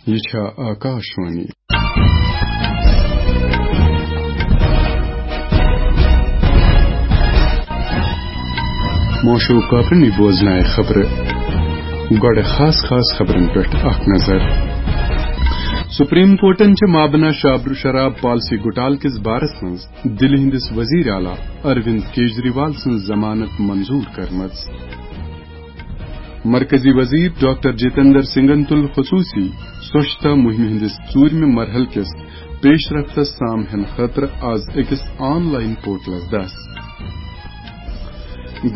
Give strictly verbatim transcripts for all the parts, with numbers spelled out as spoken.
یہِ چھا آکاشوانی۔ موشو کاپرنی بوزنایہِ خبرٕ۔ گۄڈٕ خاص خاص خبرن پٮ۪ٹھ اکھ نظر۔ سپریم کورٹن چھِ مابنا شابر-، شراب پالیسی گھوٹالہٕ کِس بارس منٛز دِلہِ ہٕنٛدِس وزیر اعلیٰ اروند کیجریوال سٕنٛز ضمانت منظور کٔرمٕژ۔ مرکزی وزیر ڈاکٹر جتیندر سنگھن تُل خصوصی سوچھتا مہمہِ ہٕنٛدِس ژوٗرمہِ مرحلہٕ کِس پیش رفتس سام ہینہٕ خٲطرٕ آز أکِس آن لائن پورٹلس دس۔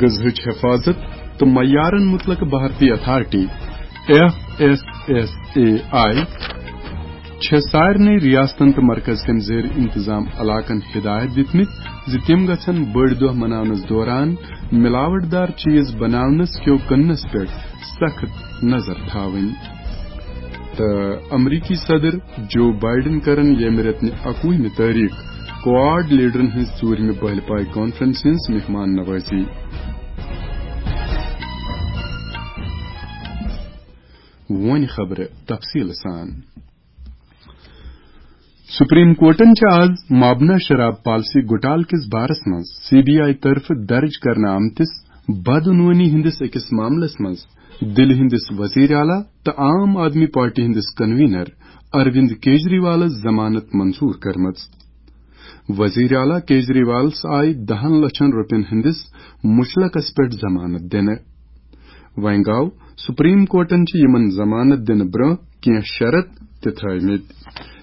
غذہٕچ حفاظت تہٕ معیارن متعلق بھارتی authority, F S S A I, چھےٚ سارنٕے ریاستن تہٕ مرکز کٮ۪ن زیر انتظام علاقن ہدایت دِتمٕتۍ زِ تِم گژھن بٔڑۍ دۄہ مناونس دوران ملاوٹ دار چیز بناونس کیو کٕننس پٮ۪ٹھ سخت نظر تھاوٕنۍ۔ تہٕ امریکی صدر جو بائیڈن کرن ییٚمہِ رٮ۪تہٕ نہِ اکوُہمہِ تٲریخ کواڈ لیڈرن ہٕنٛز ژوٗرمہِ بہلہِ پایہِ کانفرنس ہٕنٛز مہمان نوازی۔ وۄنۍ خبرٕ تفصیٖل سان۔ سپریم کورٹن چھِ آز مابنا شراب پالیسی گھوٹالہٕ کِس بارس منٛز سی بی آئی طرفہٕ درج کرنہٕ آمتِس بدعنوانی ہٕنٛدِس أکِس معاملس منٛز دِلہِ ہٕنٛدِس وزیر اعلیٰ تہٕ عام آدمی پارٹی ہٕنٛدِس کنوینر اروند کیجریوالس ضمانت منظور کٔرمٕژ۔ وزیر اعلیٰ کیجریوالس آیہِ دَہن لچھن رۄپین ہٕنٛدِس مُچلقس پٮ۪ٹھ ضمانت دِنہٕ۔ وۄنۍ گوٚو، سپریم کورٹن چھِ یِمن ضمانت دِنہٕ برٛونٛہہ کینٛہہ شرط تہِ تھٲومٕتۍ۔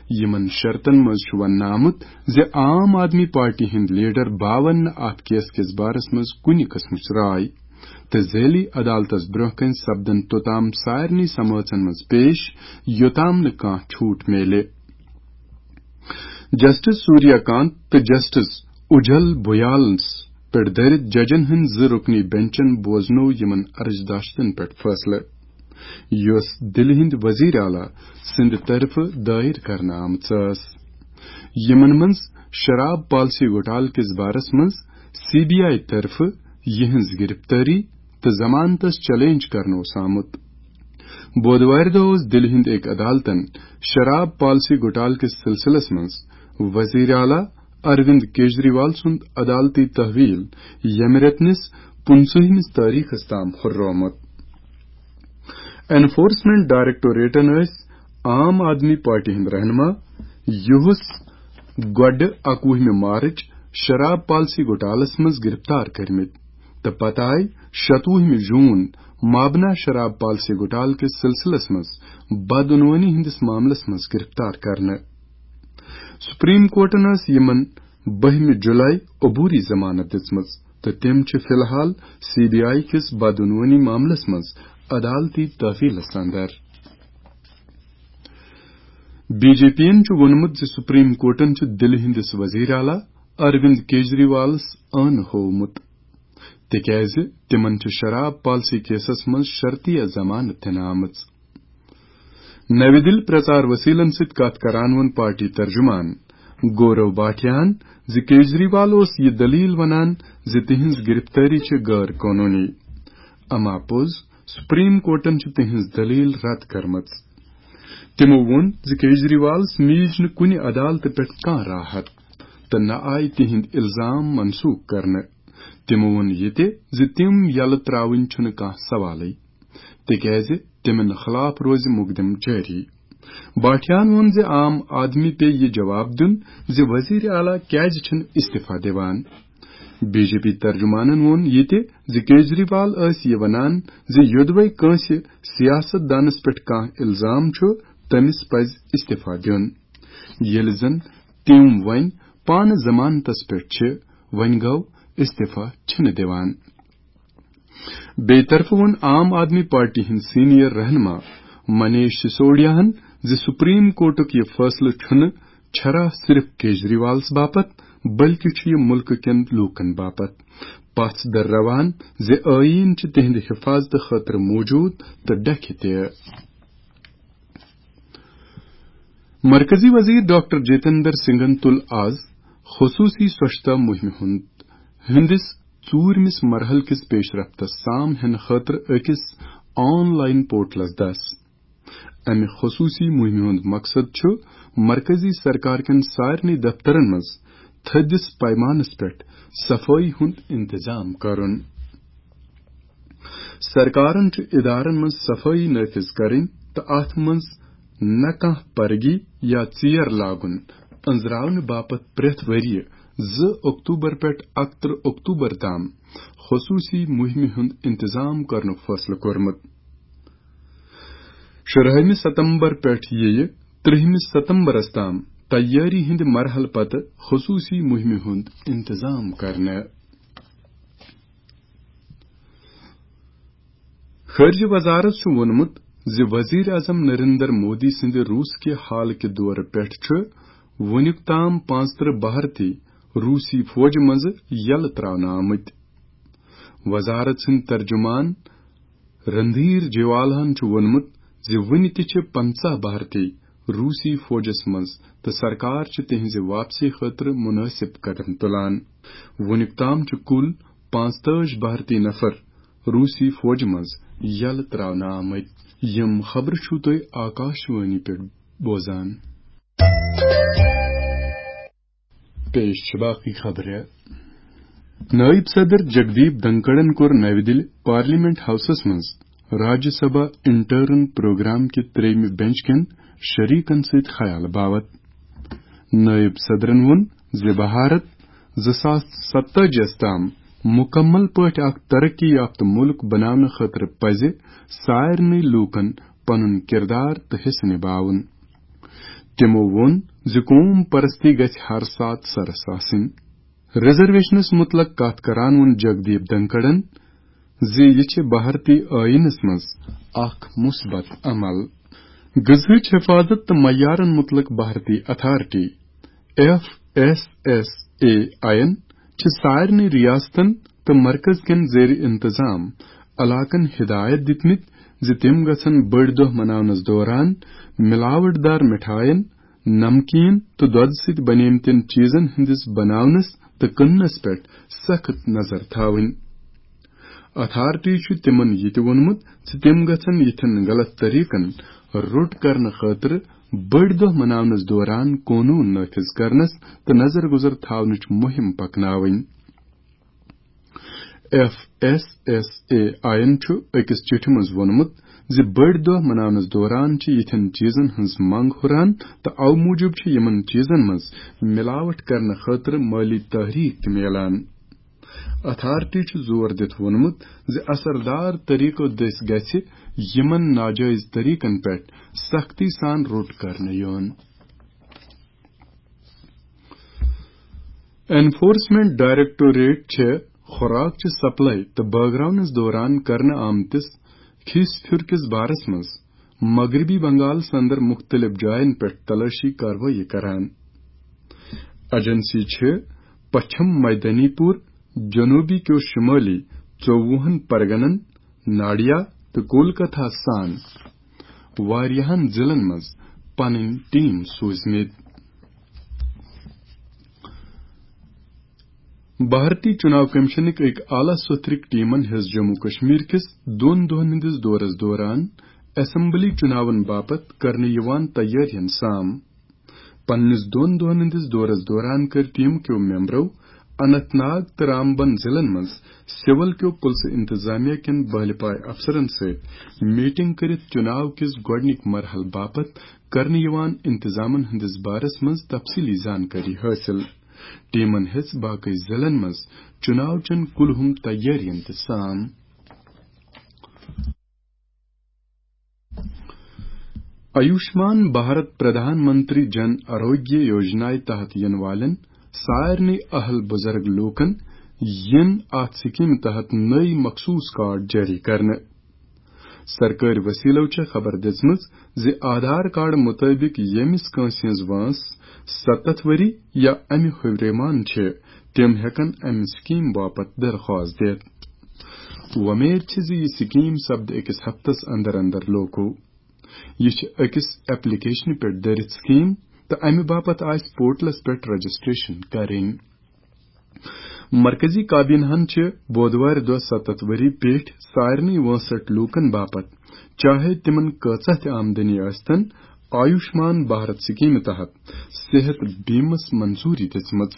یِمن شرطن منٛز چھُ وننہٕ آمُت زِ عام آدمی پارٹی ہٕنٛدۍ لیڈر باون نہٕ اتھ کیس کِس بارس منٛز کُنہِ قٕسمٕچ راے تہٕ ذیلی عدالتس برٛونٛہہ کنہِ سپدن توٚتام سارنٕے سمٲژن منٛز پیش، یوٚتام نہٕ کانٛہہ چھوٹ میلہِ۔ جسٹس سوریا کانت تہٕ جسٹس اجل بھویالس پٮ۪ٹھ دٲرِتھ ججن ہٕنٛدۍ زٕ رُکنی بینچن بوزنوو یِمن عرضداشتن پٮ۪ٹھ فٲصلہٕ، یۄس دِلہِ ہٕنٛدۍ وزیر اعلیٰ سٕنٛدِ طرفہٕ دٲیر کرنہٕ آمٕژ ٲس۔ یِمن منٛز شراب پالیسی گھوٹالہٕ کِس بارس منٛز سی بی آئی طرفہٕ یِہٕنٛز گرفتٲری تہٕ ضمانتس چیلنج کرنہٕ اوس آمُت۔ بودوارِ دۄہ اوس دِلہِ ہٕنٛدِ أکۍ عدالتن شراب پالیسی گھوٹالہٕ کِس سلسلس منٛز وزیر اعلیٰ اروند کیجریوال سُنٛد عدالتی تحویل ییٚمہِ رٮ۪تہٕ نِس پٕنٛژٕہمِس تٲریخس تام ہُررومُت۔ انفورسمنٹ ڈائریکٹوریٹن ٲسۍ عام آدمی پارٹی ہٕنٛدۍ رہنما یوہس گۄڈٕ اکوُہمہِ مارچ شراب پالیسی گھوٹالس منٛز گرفتار کٔرمٕتۍ تہٕ پتہٕ آیہِ شتوُہمہِ جون مابنا شراب پالیسی گھوٹالہٕ کِس سلسلس منٛز بدعنوانی ہٕنٛدِس معاملس منٛز گرفتار کرنہٕ۔ سپریم کورٹن ٲس یِمن بٔہمہِ جولائی عبوری ضمانت دِژمٕژ تہٕ تِم چھِ فی الحال سی بی آئی کِس بدعنوانی معاملس منٛز عدالتی تحویلس اندر۔ بی جے پی ین چھُ ووٚنمُت زِ سپریم کورٹن چھُ دِلہِ ہٕنٛدِس وزیر اعلیٰ اروند کیجریوالس ٲنہٕ ہوومُت، تِکیازِ تِمن چھِ شراب پالیسی کیسس منٛز شرطیہ ضمانت دِنہٕ آمٕژ۔ نوِ دِلہِ پرچار وسیلن سۭتۍ کتھ کران ووٚن پارٹی ترجمان گورو بھاٹیاہن زِ کیجریوال اوس یہِ دلیل ونان زِ تِہنٛز گرفتٲری چھِ غٲر قونوٗنی۔ اما پوٚز، سپریم کورٹن چھِ تِہنٛز دلیل رد کٔرمٕژ۔ تِمو ووٚن زِ کیجریوالس میج نہٕ کُنہِ عدالتہٕ پٮ۪ٹھ کانٛہہ راحت تہٕ نہ آیہِ تِہنٛدۍ الزام منسوخ کرنہٕ۔ تِمو ووٚن یہِ تہِ زِ تِم یلہٕ ترٛاوٕنۍ چھُنہٕ کانٛہہ سوالٕے، تِکیازِ تِمن خلاف روزِ مقدمہٕ جٲری۔ بھاٹیاہن ووٚن زِ عام آدمی پیٚیہِ یہِ جواب دیُن زِ وزیر اعلیٰ کیازِ چھِنہٕ استعفیٰ دِوان۔ بی جے پی ترجمانن ووٚن یہِ تہِ زِ کیجریوال ٲسۍ یہِ ونان زِ یوٚدوے کٲنٛسہِ سیاست دانس پٮ۪ٹھ کانٛہہ الزام چھُ، تٔمِس پزِ استعفیٰ دیُن، ییٚلہِ زن تِم وۄنۍ پانہٕ ضمانتس پٮ۪ٹھ چھِ، وۄنۍ گوٚو استعفیٰ چھِنہٕ دِوان۔ بیٚیہِ طرفہٕ ووٚن عام آدمی پارٹی ہٕنٛدۍ سینئر رہنما منیش سسوڈیاہن زِ سپریم کورٹُک یہِ فٲصلہٕ چھُنہٕ چھرا صرف کیجریوالس باپتھ، بلکہِ چھُ یہِ مُلکہٕ کٮ۪ن لوٗکن باپتھ پژھ درراوان زِ ٲییٖن چھِ تِہنٛدِ حفاظتہٕ خٲطرٕ موجود تہٕ ڈکھِ تہِ۔ مرکزی وزیر ڈاکٹر جتیندر سنگھن تُل آز خصوصی سوچھتا مہمہِ ہُنٛد، ہٕنٛدِس ژوٗرمِس مرحلہٕ کِس پیش رفتس سام ہینہٕ خٲطرٕ أکِس آن لائن پورٹلس دس۔ امہِ خصوٗصی مُہِمہِ ہُنٛد مقصد چھُ مرکزی سرکار کٮ۪ن سارنٕے دفترن منٛز تھٔدِس پیمانس پٮ۪ٹھ صفٲیی ہُنٛد انتظام کرُن۔ سرکارن چھُ ادارن منٛز صفٲیی نافذ کرٕنۍ تہٕ اتھ منٛز نہ کانٛہہ پرگی یا ژیر لاگُن أنٛزراونہٕ باپتھ پرٛٮ۪تھ ؤرۍ یہِ زٕ اکتوبر پٮ۪ٹھ اکترٕہ اکتوبر تام خصوٗصی مُہِمہِ ہُنٛد انتظام کرنُک فٲصلہٕ کوٚرمُت۔ شُراہمہِ ستمبر پٮ۪ٹھ یِیہِ ترٛہمہِ ستمبرس تام تیٲری ہٕنٛدِ مرحلہٕ پتہٕ خصوٗصی مُہِمہِ ہُنٛد انتظام کرنہٕ۔ خارجہ وزارت چھُ ووٚنمُت زِ وزیر اعظم نریندر مودی سٕنٛدِ روٗس کہِ حالہٕ کہِ دورٕ پٮ۪ٹھ چھُ وُنیُک تام پانٛژترٕہ بھارتی روٗسی فوجہِ منٛزٕ یلہٕ ترٛاونہٕ آمٕتۍ۔ وزارت سٕنٛدۍ ترجمان رندھیر جیوالہن چھُ ووٚنمُت زِ وُنہِ تہِ چھِ پنٛژاہ بھارتی روٗسی فوجس منٛز تہٕ سرکار چھِ تِہنٛزِ واپسی خٲطرٕ مُنٲسِب قدم تُلان۔ وُنیُک تام چھِ کُل پانٛژتٲجۍ بھارتی نفر روٗسی فوجہِ منٛز یلہٕ ترٛاونہٕ آمٕتۍ۔ یِم خبرٕ چھِو تُہۍ آکاشوانی پٮ۪ٹھ بوزان۔ پیش چھِ باقٕے خبرٕ۔ نٲیِب صدر جگدیپ دھنکڑَن کوٚر نَوِ دِلہِ پارلیمنٹ ہاوسَس منٛز راجیہ سبھا انٹرن پروگرام کہِ ترٛیٚیِمہِ بینچ کٮ۪ن شریکن سۭتۍ خیال باوت۔ نٲیِب صدرَن ووٚن زِ بھارت زٕ ساس ستٲجی یَس تام مُکمل پٲٹھۍ اکھ ترقی یافتہٕ مُلک بناونہٕ خٲطرٕ پزِ سارنٕے لوٗکن پنُن کردار تہٕ حصہٕ نباوُن۔ تِمو ووٚن زِ قوم پرستی گژھِ ہر ساتہٕ سرس آسٕنۍ۔ ریزرویشنس مُتلق کتھ کران ووٚن جگدیپ دھنکڑَن زِ یہِ چھِ بھارتی ٲیٖنس منٛز اکھ مثبت عمل۔ غذہٕچ حفاظت تہٕ معیارن مُتلق بھارتی authority, F S S A I یَن، چھِ سارنٕے ریاستن تہٕ مرکز کٮ۪ن زیر انتظام علاقن ہدایت دِتمٕتۍ زِ تِم گژھن بٔڑۍ دۄہ مناونس دوران ملاوٹ دار مٹھاین، نمکین تہٕ دۄدٕ سۭتۍ بنیمتٮ۪ن چیٖزن ہٕنٛدِس بناونس تہٕ کٕننس پٮ۪ٹھ سخت نظر تھاوٕنۍ۔ اتھارٹی چھُ تِمن یہِ تہِ ووٚنمُت زِ تِم گژھن یِتھٮ۪ن غلط طریقن روٚٹ کرنہٕ خٲطرٕ بٔڑۍ دۄہ مناونس دوران قونوٗن نافذ کرنس تہٕ نظر گزر تھاونٕچ مُہِم پکناوٕنۍ۔ F S S A I یَن چھُ أکِس چِٹھِ منٛز ووٚنمُت زِ بٔڑۍ دۄہ مناونس دوران چھِ یِتھٮ۪ن چیٖزن ہٕنٛز منگ ہُران تہٕ اَوٕ موٗجوٗب چھِ یِمن چیٖزن منٛز ملاوٹ کرنہٕ خٲطرٕ مٲلی تحریک تہِ میلان۔ اتھارٹی چھُ زور دِتھ ووٚنمُت زِ اثردار طریقو دٔسۍ گژھِ یِمن ناجٲیز طریقن پٮ۪ٹھ سختی سان روٚٹ کرنہٕ یُن۔ انفورسمنٹ ڈائریکٹوریٹ چھِ خوراک چہِ سپلائی تہٕ بٲگراونس دوران کرنہٕ آمتِس کھیس پھر کِس بارس منٛز مغربی بنگالس اندر مُختٔلِف جاین پٮ۪ٹھ تلٲشی کاروٲیی کران۔ ایجنسی چھِ پچھم میدانی پور، جنوبی کیو شمٲلی ژووُہن پرگنن، ناڈیا تہٕ کولکتہ سان واریاہن ضلعن منٛز پنٕنۍ ٹیم سوٗزمٕتۍ۔ بھارتی چُناو کمیشنٕکۍ أکۍ اعلیٰ سطرٕکۍ ٹیمن ہیٚژ جموں کشمیر کِس دۄن دۄہن ہٕنٛدِس دورس دوران اسمبلی چُناون باپتھ کرنہٕ یِوان تیٲرین سام۔ پننِس دۄن دۄہن ہٕنٛدِس دورس دوران کٔر ٹیم کیو ممبرو اننت ناگ تہٕ رامبن ضلعن منٛز سول کیو پُلسہٕ انتظامیہ کٮ۪ن بہلہِ پاے افسرن سۭتۍ میٹنگ کٔرِتھ چُناو کِس گۄڈٕنِکۍ مرحلہٕ باپتھ کرنہٕ یِوان انتظامن ہٕنٛدِس بارس منٛز تفصیلی زانکٲری حٲصِل۔ ٹیمن ہیٚژ باقٕے ضلعن منٛز چُناو چٮ۪ن کُلہُم تیٲرین تہِ سام۔ آیوشمان بھارت پردھان منتری جن آروگیہ یوجنایہِ تحت یِنہٕ والٮ۪ن سارنٕے اہل بُزرگ لوٗکن یِن اتھ سکیٖمہِ تحت نٔوۍ مخصوٗص کارڈ جٲری کرنہٕ۔ سرکٲرۍ وسیلو چھےٚ خبر دِژمٕژ زِ آدھار کارڈ مُطٲبِق ییٚمِس کٲنٛسہِ ہٕنٛز وٲنٛس ستتھ ؤری یا امہِ ہیوٚر مان چھِ، تِم ہٮ۪کن امہِ سکیٖم باپتھ درخواست دِتھ۔ وۄمید چھِ زِ یہِ سکیٖم سپدِ أکِس ہفتس اندر اندر لوکو۔ یہِ چھِ أکِس ایپلیکیشنہِ پٮ۪ٹھ دٲرِتھ سکیٖم تہٕ امہِ باپتھ آسہِ پورٹلس پٮ۪ٹھ رجسٹریشن کرٕنۍ۔ مرکزی کابینہن چھِ بودوارِ دۄہ ستتھ ؤری پیٹھ سارنٕے وٲنٛسٹھ لوٗکن باپتھ چاہے تِمن کۭژاہ تہِ آمدنی ٲسۍتن، آیوشمان بھارت سکیمہِ تحت صحت بیمس منظوری دِژمٕژ۔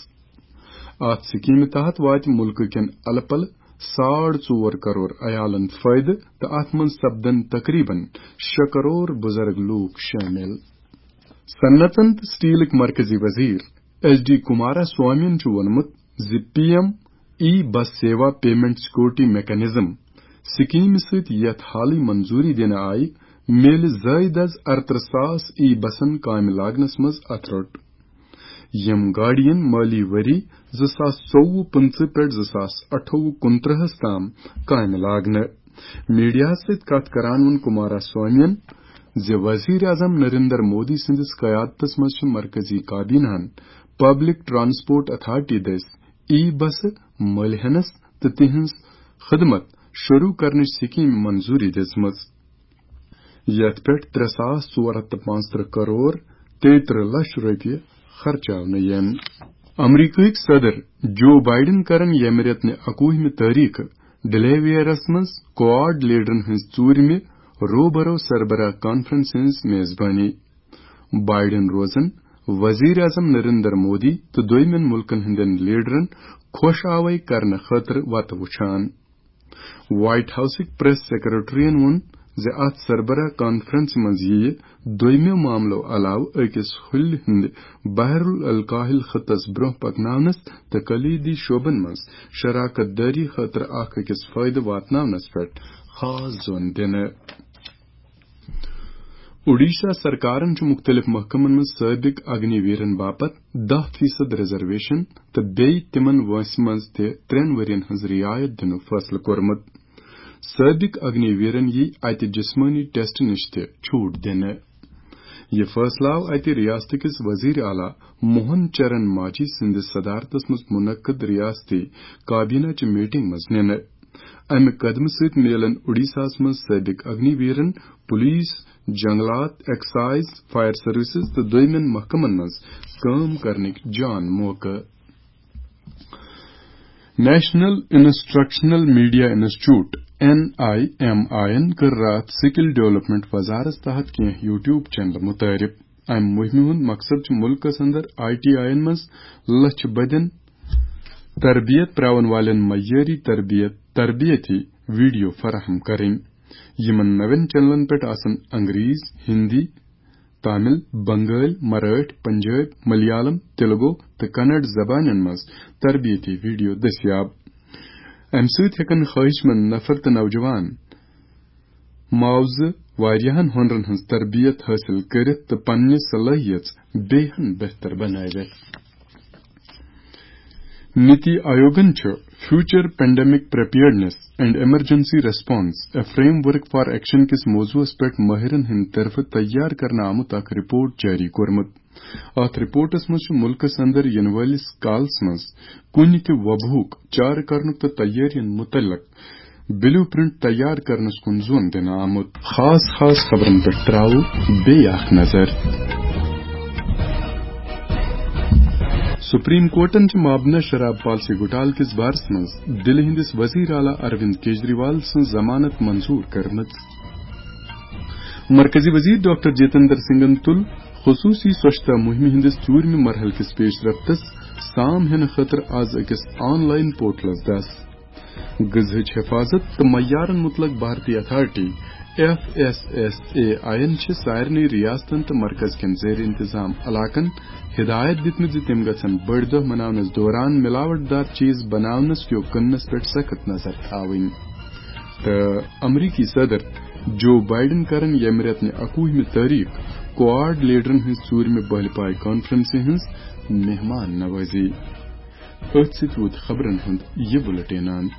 اتھ سکیمہِ تحت واتہِ مُلکہٕ کٮ۪ن الہٕ پلہٕ ساڑ ژور کرور عیالن فٲیدٕ تہٕ اتھ منٛز سپدن تقریباً شےٚ کرور بُزرگ لوٗکھ شٲمِل۔ صنعتن تہٕ سٹیلٕکۍ مرکزی وزیر ایس ڈی کمارا سوامین چھُ ووٚنمُت زِ پی ایم ای بس سیوا پیمنٹ سیکورٹی میکانزم سکیمہِ سۭتۍ یتھ حالٕے منظوری دِنہٕ آیہِ، میلہِ زٲیدٕ از ارترٕہ ساس ای بسن کامہِ لاگنس منٛز اتھٕ روٚٹ۔ یِم گاڑین مٲلی ؤری زٕ ساس ژوٚوُہ پٕنٛژٕہ پٮ۪ٹھ زٕ ساس اَٹھووُہ کُنترٕہس تام کامہِ لاگنہٕ۔ میڈیاہس سۭتۍ کتھ کران ووٚن کمارا سوامین زِ وزیر اعظم نریندر مودی سٕنٛدِس قیادتس منٛز چھِ مرکزی کابینہن پبلک ٹرانسپورٹ اتھارٹی دٔسۍ ای بسہٕ مٔلۍ ہینس تہٕ تِہنٛز خدمت شروع کرنٕچ سکیمہِ منظوری دِژمٕژ، یتھ پٮ۪ٹھ ترٛےٚ ساس ژور ہتھ تہٕ پانٛژترٕہ کرور تیٚیہِ ترٕٛہ لچھ رۄپیہِ خرچاونہٕ یِن۔ امریکہٕکۍ صدر جو بائیڈن کرن ییٚمہِ رٮ۪تہٕ نہِ اَکوُہمہِ تٲریخہٕ ڈیلیویئرس منٛز کوآڈ لیڈرن ہٕنٛز ژوٗرمہِ روبرو سربراہ کانفرنس ہٕنٛز میزبانی۔ بائیڈن روزن وزیر اعظم نریندر مودی تہٕ دوٚیمٮ۪ن مُلکن ہٕنٛدٮ۪ن لیڈرن خۄش آوے کرنہٕ خٲطرٕ وتہٕ وُچھان۔ وائٹ ہاؤسٕکۍ پریس سیکرٹریَن ووٚن زِ اتھ سربراہ کانفرنسہِ منٛز یِیہِ دوٚیمٮ۪و معاملو علاوٕ أکِس ہُلہِ ہٕنٛدِ بحر الکاہل خطس برٛونٛہہ پکناونس تہٕ کلیدی شعبن منٛز شراکت دٲری خٲطرٕ اکھ أکِس فٲیدٕ واتناونس پٮ۪ٹھ خاص زون دِنہٕ۔ اوڈیشہ سرکارن چھُ مُختٔلِف محکمن منٛز سٲبِق اگنی ویرن باپتھ دَہ فیصد ریزرویشن تہٕ بیٚیہِ تِمن وٲنٛسہِ منٛز تہِ ترٛٮ۪ن ؤرین ہٕنٛز رعایت دِنُک فٲصلہٕ کوٚرمُت۔ سٲبِق اگنی ویرن یِیہِ اتہِ جسمٲنی ٹیسٹ نِش تہِ چھوٹ دِنہٕ۔ یہِ فٲصلہٕ آو اتہِ ریاستہٕ کِس وزیر اعلیٰ موہن چرن ماجھی سٕنٛدِس صدارتس منٛز منعقد ریاستی کابینہ چہِ میٹنگ منٛز نِنہٕ۔ امہِ قدمہٕ سۭتۍ میلن اوڈیشاہس منٛز سٲبِق اگنی ویرن، پولیس، جنگلات، ایکسائز، فائر سروسز تہٕ دوٚیمٮ۪ن محکمن منٛز کٲم کرنٕکۍ جان موقعہٕ۔ National instructional media institute, N I M I یَن کٔر راتھ سکل ڈیولپمنٹ وزارت تحت کینٛہہ یوٹیوب چینلہٕ متعارف۔ امہِ مہمہِ ہُنٛد مقصد چھُ مُلکس اندر آئی ٹی آئی یَن منٛز لچھِ بٔدٮ۪ن تربیت پراون والٮ۪ن معیٲری تربیت، تربیتی ویڈیو فراہم کرٕنۍ۔ یِمن نوٮ۪ن چینلن پٮ۪ٹھ آسن انگریز، ہندی، تامل، بنگٲلۍ، مرٲٹھۍ، پنجٲبۍ، ملیالم، تیلگو تہٕ کنڑ زبانن منٛز تربیتی ویڈیو دٔستیاب۔ امہِ سۭتۍ ہٮ۪کن خواہش مند نفر تہٕ نوجوان معاوضہٕ واریاہن ہُنرن ہٕنٛز تربیت حٲصِل کٔرِتھ تہٕ پننہِ صلٲحیژ بیٚیہِ ہن بہتر بنٲوِتھ۔ نیتی آیوگن چھُ Future Pandemic Preparedness and Emergency Response: A Framework for Action کِس موضوعس پٮ۪ٹھ مٲہرن ہٕنٛدِ طرفہٕ تیار کرنہٕ آمُت اکھ رپورٹ جٲری کوٚرمُت۔ اتھ رپورٹس منٛز چھُ مُلکس اندر یِنہٕ وٲلِس کالس منٛز کُنہِ تہِ وباہُک چارٕ کرنُک تہٕ تیٲرین مُتعلق بلیو پرنٹ تیار کرنس کُن زون دِنہٕ آمُت۔ خاص خاص خبرن پٮ۪ٹھ تراوو بیٚیہِ اکھ نظر۔ سپریم کورٹن چھِ مابنہ شراب پالیسی گھوٹالہٕ کِس بارس منٛز دِلہِ ہٕنٛدِس وزیر اعلیٰ اروند کیجریوال سٕنٛز ضمانت منظور کٔرمٕژ۔ مرکزی وزیر ڈاکٹر جتیندر سنگھن تُل خصوصی سوچھتا مہمہِ ہٕنٛدِس ژوٗرمہِ مرحلہٕ کِس پیش رفتس سام ہینہٕ خٲطرٕ از أکِس آن لائن پورٹلس دس۔ غذہٕچ حفاظت تہٕ معیارن متعلق بھارتی authority, F S S A I یَن چھِ سارنٕے ریاستن تہٕ مرکز کٮ۪ن زیر انتظام علاقن ہدایت دِژمٕژ زِ تِم گژھن بٔڑۍ دۄہ مناونس دوران ملاوٹ دار چیز بناونس کیو کٕننس پٮ۪ٹھ سخت نظر تھاوٕنۍ۔ تہٕ امریکی صدر جو بائیڈن کرن ییٚمہِ رٮ۪تہٕ نہِ اَکوُہمہِ تٲریخ کوآڈ لیڈرن ہٕنٛز ژوٗرمہِ بٔلۍ پایہِ کانفرنسہِ ہٕنٛز مہمان نوازی۔ أتھۍ سۭتۍ ووت خبرن ہُنٛد یہِ بُلٹین اند۔